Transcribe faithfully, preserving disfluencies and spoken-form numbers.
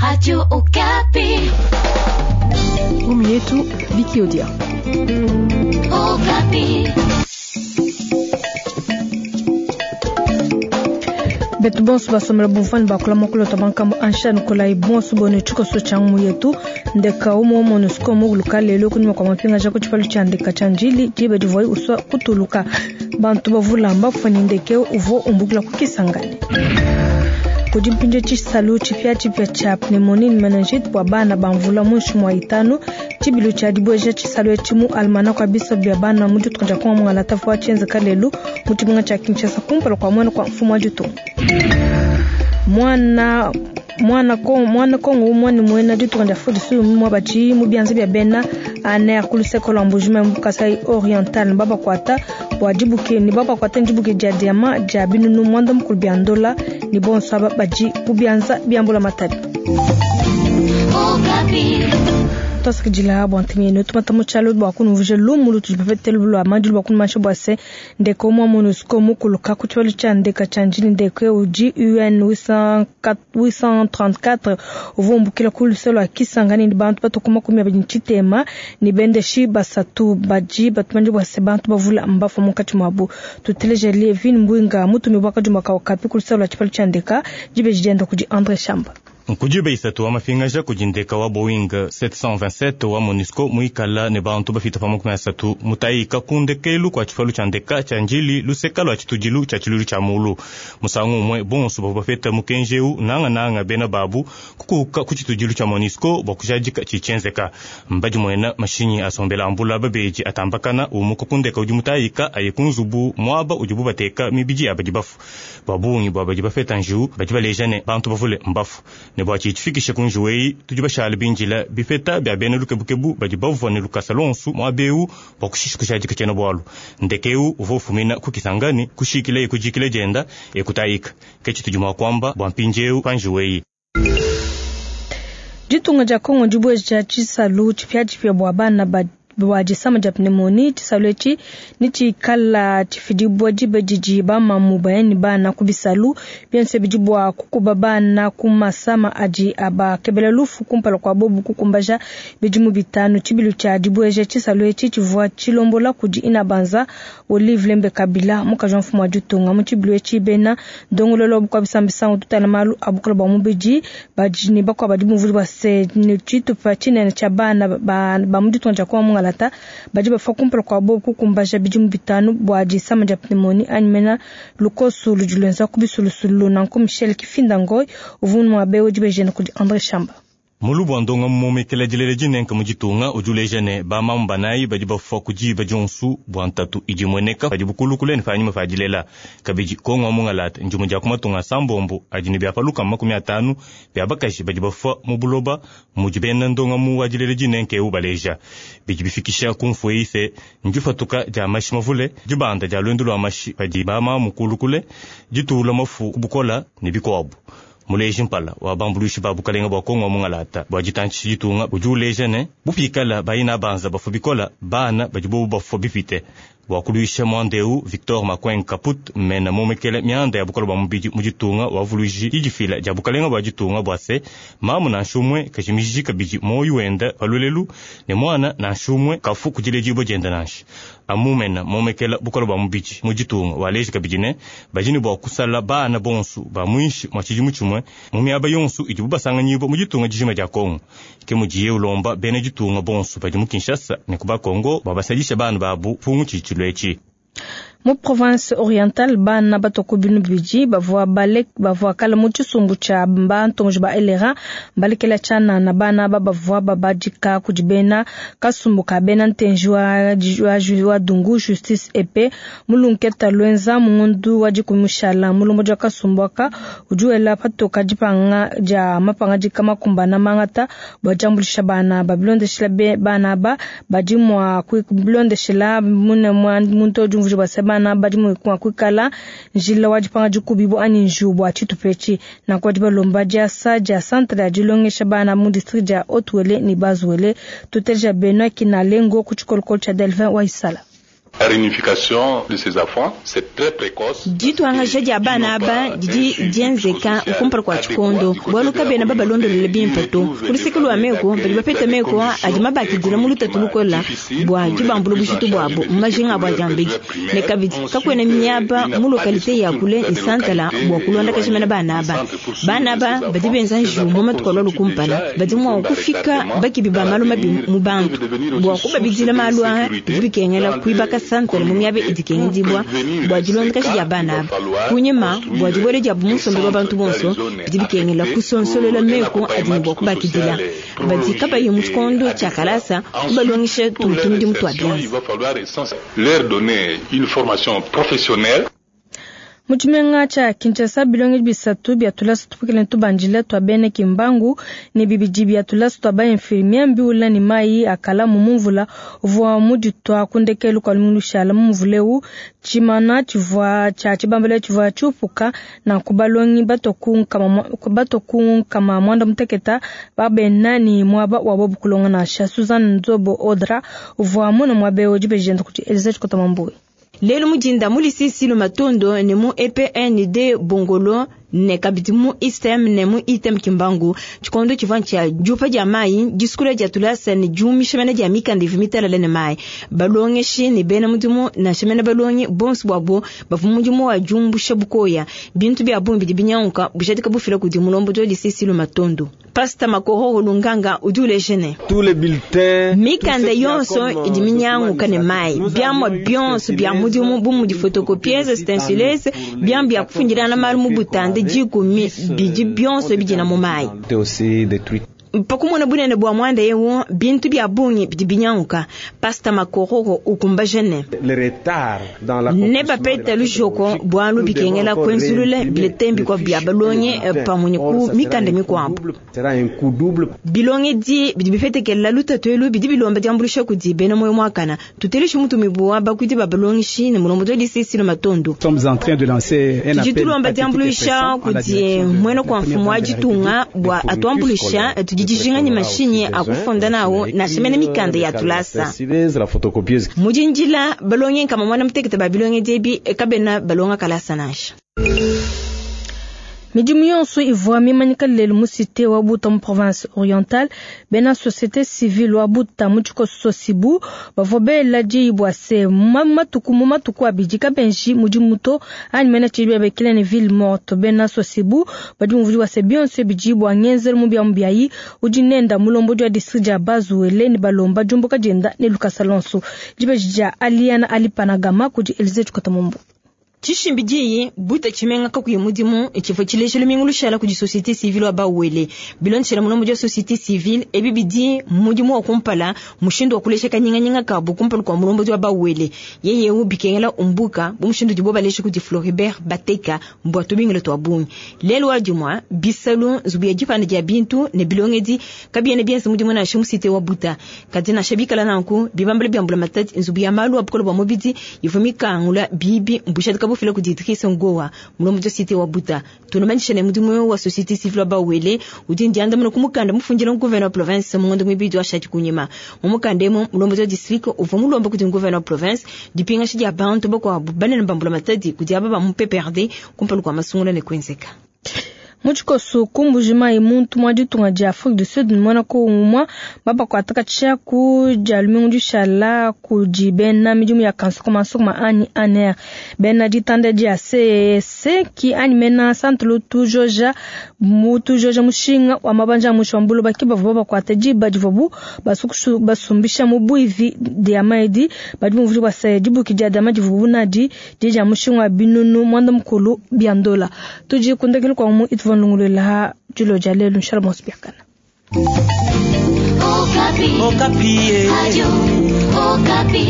Radio Okapi. Romu yetu Viki Odia. Okapi. Betu bonso basomela bumfani bakula mokolo to bankambo ansha nikolai bonso bone tshikoso tshia mu yetu ndeka umo MONUSCO muguluka lelo kunyuma kwa mapinga ja kutshipalu tshia ndeka tshia njili diba divuayi uswa kutuluka bantu bavulamba kufanyi ndeke uvo umbukila kukisangani kudi mpinje tshisalu tshipiatshipia tshia pneumonie meningite bua bana ba mvula muinshi mua itanu tshibilu tshia dibueja tshisalu etshi mu almanach wa bisa bia bana mu dituku dia kongo mungalata vua tshienzeka lelu mu tshimenga tshia Kinshasa kumpala kua muena kua mfumu wa ditunga. Mwana mwana kongo mwana kongo umwe ni mwena dituku dia Afrika du Sud mwa bachi mu bianza bia bena aner ku luseko lwa Mbuji-Mayi mu Kasai Oriental baba kwata bua dibuke ni baba kwata ndibuke dia diama dia binunu mwanda mukulu bia ndola ni bonso aba baji ku bianza biambula matadi. Okapi. Twasakidila bua ntengenyi tumata mu tshialo bua kunuvuje lumu lutudi bapete lua madilu bua kunumansha bua se ndeke umue MONUSCO mukuluka ku tshibalu tshia ndeka tshia njili ndeke udi U N huit cent trente-quatre uvua umbukila ku luse lua Kisangani ni bantu batuku makumi abidi ne tshitema ni bendeshi basatu badi batumanje bua se bantu bavula mbafua munkatshi muabu. Tuteleje Levin Mbwinga mutumi bua kajuma ka Okapi ku luse lua tshibalu tshia ndeka dibeji dienda kudi André Shamba. Nkudibe isatu wa mafingaja kudi ndeka wa Boeing sept cent vingt-sept wa MONUSCO muikala ne bantu bafita pa makumi asatu mutayika ku ndekelu kua tshipalu tshia ndeka tshia njili luseka lua tshitudilu tshia tshilulu tshia mulu musangu umue bonso bavua bapeta mukenji eu nangananga bena babu kukuka ku tshitudilu tshia MONUSCO bua kujadika tshitshienzeka mbadi muena mashinyi asombela ambula babeji atambakana umuka ku ndeka udi mutayika aye ku nzubu muaba udibu bateka mibidi ya badi bafu babungi bua badi bapeta njiwu badi baleja ne bantu bavule mbafu ne bua tshitshifikishe ku njiwu eyi tudi bashala binjila bipeta bia bena lukebukebu badi bavua ne lukasa lonsu muaba eu bua kushisha kushadika tshiena bualu ndeke eu uvua ufumina ku Kisangani kushikila ekujikila dienda ekutayika ke tshitudi mua kuamba bua mpindiewu pa njiwu eyi. Ditunga dia Kongo dibueja tshisalu tshipiatshipia bua bana ba bua disama dia pneumonie tshisalu etshi ni tshikala tshifidibua diba didi bamamu bayani bana ku bisalu bionso bidi bua kukuba bana ku masama adi abakebela lufu kumpala kua bobu kukumbaja bidimu bitanu. Tshibilu tshia dibueja tshisalu etshi tshivua tshilombola kudi Inabanza Olive Lembe Kabila mukaji wa mfumu wa ditunga. Mu tshibilu etshi bena ndongololo bua bisambisango tutala malu abukula bua mubidi badi ne bakua badi bumvuli bua se ne tshitupa tshinene tshia bana ba, ba mu ditunga dia Kongo mungalata badi bafa kumpala kua bobu kukumbaja bidimu bitanu bua disama dia pneumonie anyi mena lukosu ludi luenza ku bisulusulu. Nanku Michel Kifinda Ngoy uvua muabe udi bejena kudi André Shamba. Mulubu wa ndonga mumomekela dilele dinenka mu ditunga udi uleja ne bamamu banayi badi bafua ku diba dionsu bua ntatu idi imueneka padi bukulukule ne panyima pa dilela. Kabidi Kongo wa mungalata ndimue dia ku matunga asambombo adi ne bia paluka makumi atanu bia bakaji badi bafua mu buloba mudi bena ndonga mu wa dilele dinenka eu baleja. Bidi bifikisha ku mfu eyi se ndifatuka dia mashi mavule, dibanda dia luendu lua mashi padi bamamu kulukule, ditula mafu ku bukola ne bikuabu. Muleji mpala wa bambuluishi ba bukalenga bua Kongo wa mungalata bua ditantshisha ditunga udi uleja ne bupikala bayina banza bafua bikola bana badi bobu bafua bipite. Bua kuluisha muanda eu Victor Makweng Kaput mena momekele mianda ya bukola bua mubidi mu ditunga wavuluiji didifila dia bukalenga bua ditunga bua se mamu nansha umue kajimiji kabidi moyo wenda palulelu ne mwana nansha umue kafu kudiledibua dienda nansha. Amumena momekela bukola bua mubidi mu ditunga waleji kabidi ne badi ne bua kusala bana bonsu ba muinshi mua tshidimu tshimue mu miaba yonsu idibu basanganyibua mu ditunga dijima dia Kongo. Ke mudiye ulomba bena ditunga bonsu badi mu Kinshasa ne ku Bakongo bua basadisha bana babu pungu tshitshilu etshi. Mu province orientale bana batoko binu bidi bavua balek bavua kala mu tshisumbu tshia bantonji ba L R A balekela tshianana na bana aba bavua babadika kudi bena kasumbu ka bena ntenji wa, wa, wa Dungu Justice Epe mulunketa lwenza mungundu wa dikumushala mulombo dia kasumbu aka udi wela patoka dipanga dia mapanga dikamakumbana mangata bua diambulisha bana babilondeshela bana aba badi mua kubilondeshela mune muntu udi umvuija bua se bana badi mua kuikala njila wa dipanga dikubibu anyi njiwu bua tshitupa nanku badi balomba diasa dia centre ya dilongesha bana mu district dia Haut-Uele ne Bas-Uele. Tuteleja Benoit Kinalengo ku tshikolokolo tshia Delvin Waisala. Dituangaja dia bana aba didi dienzeka kumpala kua tshikondo bualu kabena babalondolola bimpe to. Ku luseke lua meku badi bapeta meku adi mabakidila mu lutatu lukola bua dibambula bujitu buabu mu majinga abu a diambedi ne kabidi kakuena miaba mu lokalite ya kule ne santala bua kulondakaja mena bana aba. Bana aba badi benza njiwu mu matuku alua kumpala badi mua kufika bakibi ba malu mabi mu bantu bua kubabidila malu aa bidi bikengela kuibaka santala mu miaba idi ikengedibua bua dilondakaja dia bana aba. Kunyima bua dibuela diabu mu nsombelu wa bantu bonso bidi bikengela kusonsolola meku adi ne bua kubakidila badi kabayi mu tshikondo tshia kalasa kubalongesha tuntu mudimu tua bianza. Mu tshimenga tshia Kinshasa bilonge bisatu bia tulasa tupukile tubandile tua bena Kimbangu ne bibidi bia tulasa tua ba infirmier mbiula ne mayi akala mu mvula uvua muditua ku ndekelu kua lumingu lushala mu mvula eu tshimana tshivua tshia tshibambala tshivua tshiupuka nanku balongi batua ku nkama muanda muteketa babena ne muaba wa bobu kulonga nansha. Suzanne Nzobo Odra uvua muna muaba eu dibejenda kuti Elisa Tshikota Mambuwe. Lelu mudinda mu lisisi Matondo ne mu E P N D Bongolo ne kabidi mu I S T M ne mu I T M Kimbangu tshikondo tshivua tshia diupa dia mayi disukula dia tulasa ne diumisha mena dia mikanda ivua mitalala ne mayi. Balongeshi ne bena mudimu nansha mena balongi bonso buabu bavua mudimu wa diumbusha bukoya bintu bia bungi bidi binyanguka bujadika bufila kudi mulombodi wa lisisi Matondo. Pasta Makoro Lunganga udi uleja ne mikanda yonso idi minyanguka ne mayi biamua bionso bia mudimu bu mudi photocopieuses stencileuse biamua bia kufundilana malu mu butande dikumi bidi bionso bidina mu mayi. Pakumona bunene bua muanda eu bintu bia bungi bidi binyanguka. Pasta Makororo ukumbaja ne ne bapeta lujoko bualu bikengela kuenzulula biletembi kwa bia balongi pamue ku mikanda mikuabu. Bilongi di bidi bifetekela lutatu elu bidi bilomba diambulisha kudi bena moyo muakana tuteleshi mutumibu wa bakuidi ba balongishi ne mulombodi wa lisisi Matondo. Tudi tulomba diambulisha kudi muena kwa mfumu wa ditunga bua atuambulisha tudi dijinga ni mashinyi akufunda nawo nansha mena mikanda ya tulasa. Mudindila balongi nkama mwana mutekete ba bilongi diebi kabena balonga kalasa nansha. Midimu yonso ivua mimanyika lelu mu cité wa Buta mu province orientale bena société civile wa Buta mu tshikoso Sibu bavua bela diyi bua se matuku mu matuku abidi kabenji mudimu to anyi mena tshibi babekela ne ville morte. Bena Sosibu badi muvudi wa se bionso bidi bua ngenzelu mu biamu biayi udi nenda mulombodi wa district dia Bazuele ne balomba diumbuka dienda ne lukasa lonso. Dibeji dia Aliana Alipanagama kudi Elise Tshikota Mombo. Tshishimbi diyi buta tshimenga kakuyi mudimu tshivua tshilejelu mingulushala kudi société civile wa Bawele bilondeshela mulombodi wa société civile ebi bidi mudimu wa kumpala mushindu wa kulesha kanyinganyinga kabu kumpala kua mulombodi wa Bawele yeye eu bikengela umbuka bu mushindu dibo balesha kudi Floribert Bateka mbua tubingile tua bungi lelu wa dimua bisalu nzubu ya dipanda dia bintu ne bilongedi kabiena bienza mudimu nansha mu cité wa Buta kadi nansha bikala nanku bibambala biambula matati nzubu ya malu a bukole bua mubidi ivua mikangula bibi mbushadika bufila kudi Idrissa Ngowa mulombodi wa cité wa Buta tunamanyisha ne mudimu wa société civile wa Bawele udi ndiandamuna ku mukanda mufundila gouverneur wa province mu ngondo mibidi wa shati kunyima mu mukanda emu mulombodi wa district uvua mulomba kudi gouverneur wa province dipingasha dia bantu bakuabu banene bambula matadi kudi aba ba mu P P R D kumpala kua masungula ne kuenzeka. Mu tshikoso kumbuji mayi muntu mwa ditunga dia Afrique du Sud mwana ko umwa babakwataka tshiaku dia lumingu dishala kudi bena midimu ya kansukuma sukuma anyi aner bena ditanda dia C C ki anyi mena centre tujoja mutu joja mushinga wa mabanja mushambulu bakiba babakwata diba divobu basukushu basumbisha mu buivi dia maidi badi muvuli wa se dibuki dia dama divubu nadi dia mushinga wa binunu mwanda mukulu biandola tuji kundekele kwa mu itvu nlungulula julo jalelu nshala mosbiakana. Okapi. Okapi. Radio Okapi.